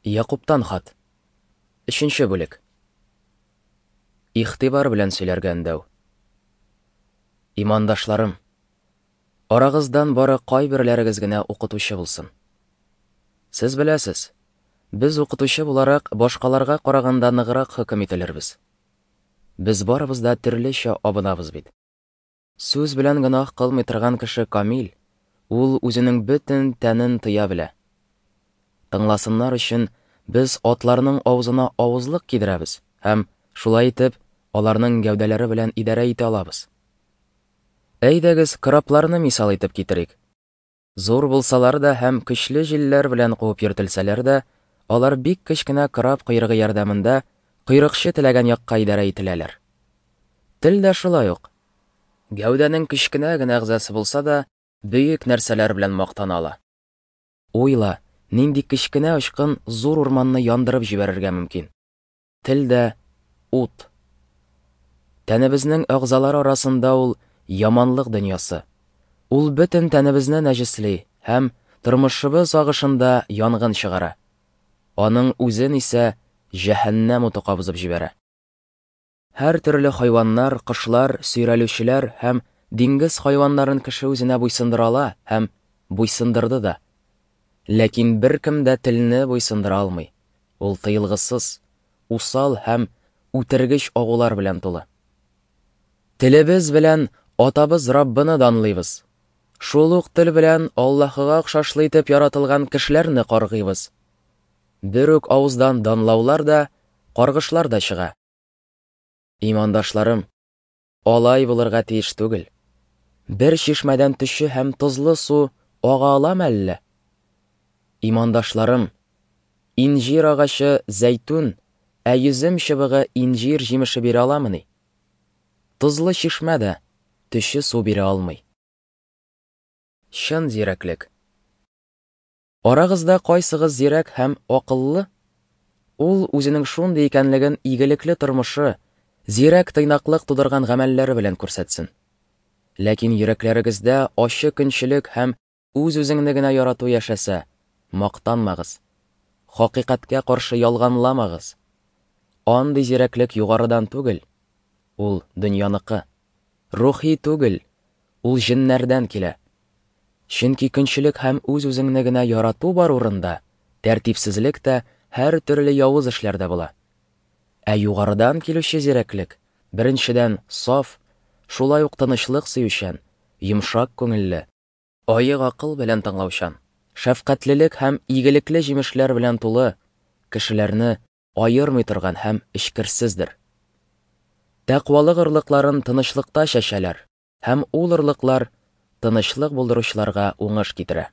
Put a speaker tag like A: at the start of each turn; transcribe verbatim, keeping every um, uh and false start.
A: Якуптан хат. Өченче бүлек. Игътибар белән сөйләргә өндәү. Имандашларым, арагыздан бары кайберләрегез генә укытучы булсын. Сез беләсез, без укытучы буларак башкаларга караганда ныграк хөкем ителербез. Без барыбыз да төрлечә абынабыз бит. Сүз белән гөнаһ кылмый торган кеше камил, ул үзенең бөтен тәнен тыя белә. Тыңласыннар өчен без атларның авызына авызлык кидерәбез һәм, шулай итеп, аларның гәүдәләре белән идарә итә алабыз. Әйдәгез, корабларны мисал итеп китерик. Зур булсалар да һәм көчле җилләр белән куып йөртелсәләр дә, алар бик кечкенә кораб койрыгы ярдәмендә койрыкчы теләгән якка идарә ителәләр. Тел дә шулай ук. Гәүдәнең кечкенә генә әгъзасы булса да, бөек нәрсәләр белән мактана ала. Уйла, нинди кечкенә очкын зур урманны яндырып җибәрергә мөмкин. Тел дә ут. Тәнебезнең әгъзалары арасында ул яманлык дөньясы. Ул бөтен тәнебезне нәҗесли һәм тормышыбыз агышында янгын чыгара. Аның үзен исә җәһәннәм уты кабызып җибәрә. Һәр төрле хайваннар, кошлар, сөйрәлүчеләр һәм диңгез хайваннарын кеше үзенә буйсындыра ала һәм буйсындырды да. Ләкин беркем дә телне буйсындыра алмый. Ул тыелгысыз, усал һәм үтергеч агулар белән тулы. Телебез белән Атабыз Раббыны данлыйбыз. Шул ук тел белән Аллаһыга охшашлы итеп яратылган кешеләрне каргыйбыз. Бер үк авыздан данлаулар да, каргышлар да чыга. Имандашларым, алай булырга тиеш түгел. Бер чишмәдән төче һәм тозлы су ага аламы әллә? Имандашларым, инҗир агачы зәйтүн, ә йөзем чыбыгы инҗир җимеше бирә аламыни? Тозлы чишмә дә төче су бирә алмый. Чын зирәклек. Арагызда кайсыгыз зирәк һәм акыллы? Ул үзенең шундый икәнлеген игелекле тормышы, зирәк тыйнаклык тудырган гамәлләре белән күрсәтсен. Ләкин йөрәкләрегездә ачы көнчелек һәм үз-үзеңне генә ярату яшәсә, мактанмагыз. Хакыйкатькә каршы ялганламагыз. Андый зирәклек югарыдан түгел, ул дөньяныкы. Рухи түгел, ул җеннәрдән килә. Чөнки көнчелек һәм үз-үзеңне генә ярату бар урында, тәртипсезлек тә, һәр төрле явыз эшләр дә була. Ә югарыдан килүче зирәклек, беренчедән, саф, шулай ук тынычлык сөючән, йомшак күңелле, аек акыл белән тыңлаучан, шәфкатьлелек һәм игелекле җимешләр белән тулы, кешеләрне аермый торган һәм эчкерсездер. Тәкъвалык орлыкларын тынычлыкта чәчәләр, һәм ул орлыклар тынычлык булдыручыларга уңыш китерә.